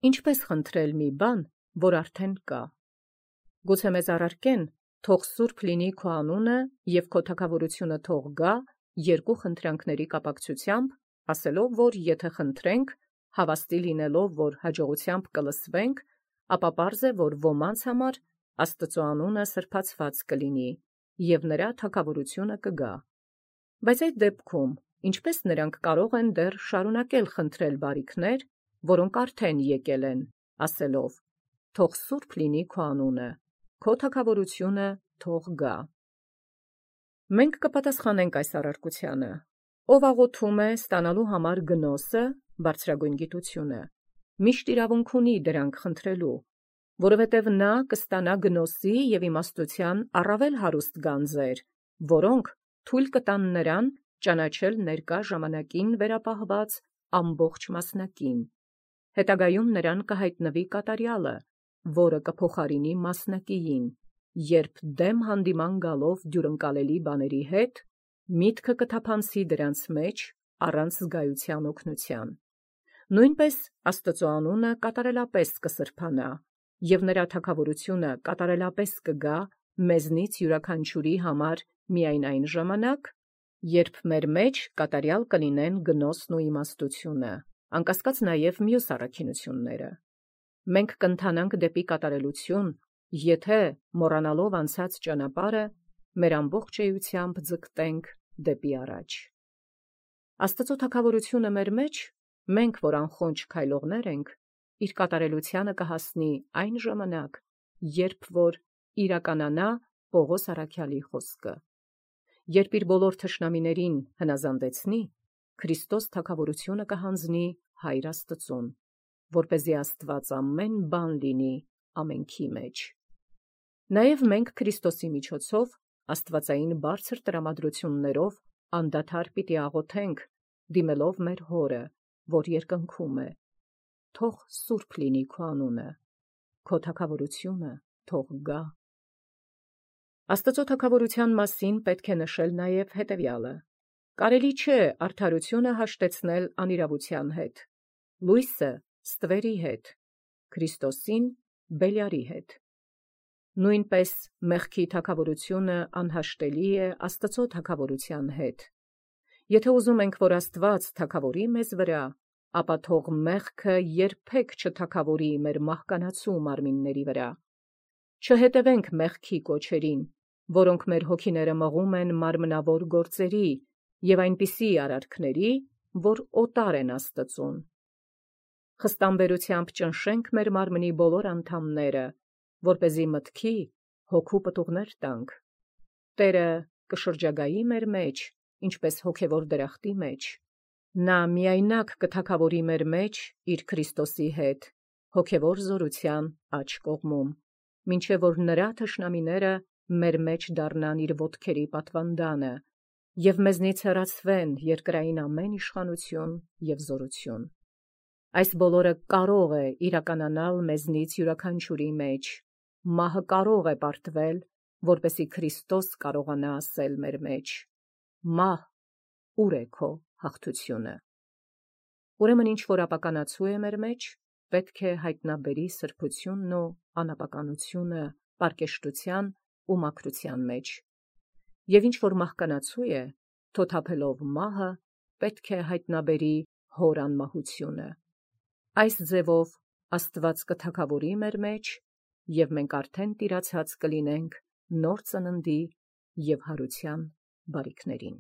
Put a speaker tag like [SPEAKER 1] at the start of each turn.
[SPEAKER 1] Ինչպես խնդրել մի բան, որ արդեն կա։ Գուցե մեզ առարկեն, թող սուրբ լինի քո անունը և քո թագավորությունը թող գա երկու խնդրանքների կապակցությամբ, ասելով, որ եթե խնդրենք, հավաստի լինելով, որ հաջողությամբ կլսվենք, ապա պարզ է, որ ոմանց համար Աստծո անունը սրբացված կլինի, և նրա թագավորությունը կգա։ Բայց այդ դեպքում, ինչպես նրանք կարող են դեռ շարունակել խնդրել բարիքներ, որոնք արդեն եկել են, ասելով. թող սուրբ լինի քո անունը, քո թագավորությունը թող գա։ Մենք կպատասխանենք այս առարկությանը. ով աղոթում է ստանալու համար գնոսը, բարձրագույն գիտությունը, միշտ իրավունք ունի դրանք խնդրելու, որովհետև նա կստանա գնոսի և իմաստության առավել հարուստ գանձեր, որոնք թույլ կտան նրան ճանաչել ներկա ժամանակին վերապահված ամբողջ մասնակին։ Հետագայում նրան կհայտնվի կատարյալը, որը կփոխարինի մասնակիին, երբ դեմ հանդիման գալով դյուրընկալելի բաների հետ, միտքը կթափանցի դրանց մեջ առանց զգայության օգնության։ Նույնպես Աստծո անունը կատարելապես կսրբանա, և նրա թագավորությունը կատարելապես կգա մեզնից յուրաքանչյուրի համար միայն այն ժամանակ, երբ մեր մեջ կատարյալ կլինեն գնոսն ու իմաստությունը, անկասկած նաև մյուս առաքինությունները։ Մենք կընթանանք դեպի կատարելություն, եթե, մոռանալով անցած ճանապարհը, մեր ամբողջ էությամբ ձգտենք դեպի առաջ։ Աստծո թագավորությունը մեր մեջ, մենք, որ անխոնջ քայլողներ ենք, իր կատարելությանը կհասնի այն ժամանակ, երբ որ իրականանա Պողոս առաքյալի խոսքը. երբ իր բոլոր թշնամիներին հնազանդեցնի, Քրիստոս թագավորությունը կհանձնի Հայր Աստծուն, որպեսզի Աստված ամեն բան լինի ամենքի մեջ։ Նաև մենք Քրիստոսի միջոցով աստվածային բարձր տրամադրություններով անդադար պիտի աղոթենք, դիմելով մեր Հորը, որ երկնքում է. թող սուրբ լինի քո անունը, քո թագավորությունը թող գա։ Աստծո թագավորության մասին պետք է նշել նաև հետևյալը. կարելի չէ արդարությունը հաշտեցնել անիրավության հետ, լույսը ստվերի հետ, Քրիստոսին Բելիարի հետ։ Նույնպես մեղքի թագավորությունը անհաշտելի է Աստծո թագավորության հետ։ Եթե ուզում ենք, որ Աստված թագավորի մեզ վրա, ապա թող մեղքը երբեք չթագավորի մեր մահկանացու մարմինների վրա։ Չհետևենք մեղքի կոչերին, որոնք մեր հոգիները մղում են մարմնավոր գործերի և այնպիսի արարքների, որ օտար են Աստծուն։ Խստամբերությամբ ճնշենք մեր մարմնի բոլոր անդամները, որպեսզի մտքի հոգու պտուղներ տանք։ Տերը կշրջագայի մեր մեջ, ինչպես հոգևոր դրախտի մեջ։ Նա միայնակ կթագավորի մեր մեջ իր Քրիստոսի հետ, հոգևոր զորության աջ կողմում, մինչև որ նրա թշնամիները մեր մեջ դառնան իր ոտքերի պատվանդանը և մեզնից հեռացվեն երկրային ամեն իշխանություն և զորություն։ Այս բոլորը կարող է իրականանալ մեզնից յուրաքանչյուրի մեջ, մահը կարող է պարտվել, որպեսզի Քրիստոս կարողանա ասել մեր մեջ. «Մահ, ուր է քո հաղթությունը»։ Ուրեմն ինչ որ ապականացու է մեր մեջ, պետք է հայտնաբերի սրբությունն ու անապականությունը պարկեշտության ու մաքրության մեջ, և ինչ որ մահկանացու է, թոթափելով մահը, պետք է հայտնաբերի հոր անմահությունը։ Այս ձևով Աստված կթագավորի մեր մեջ, և մենք արդեն տիրացած կլինենք նոր ծննդի և հարության բարիքներին։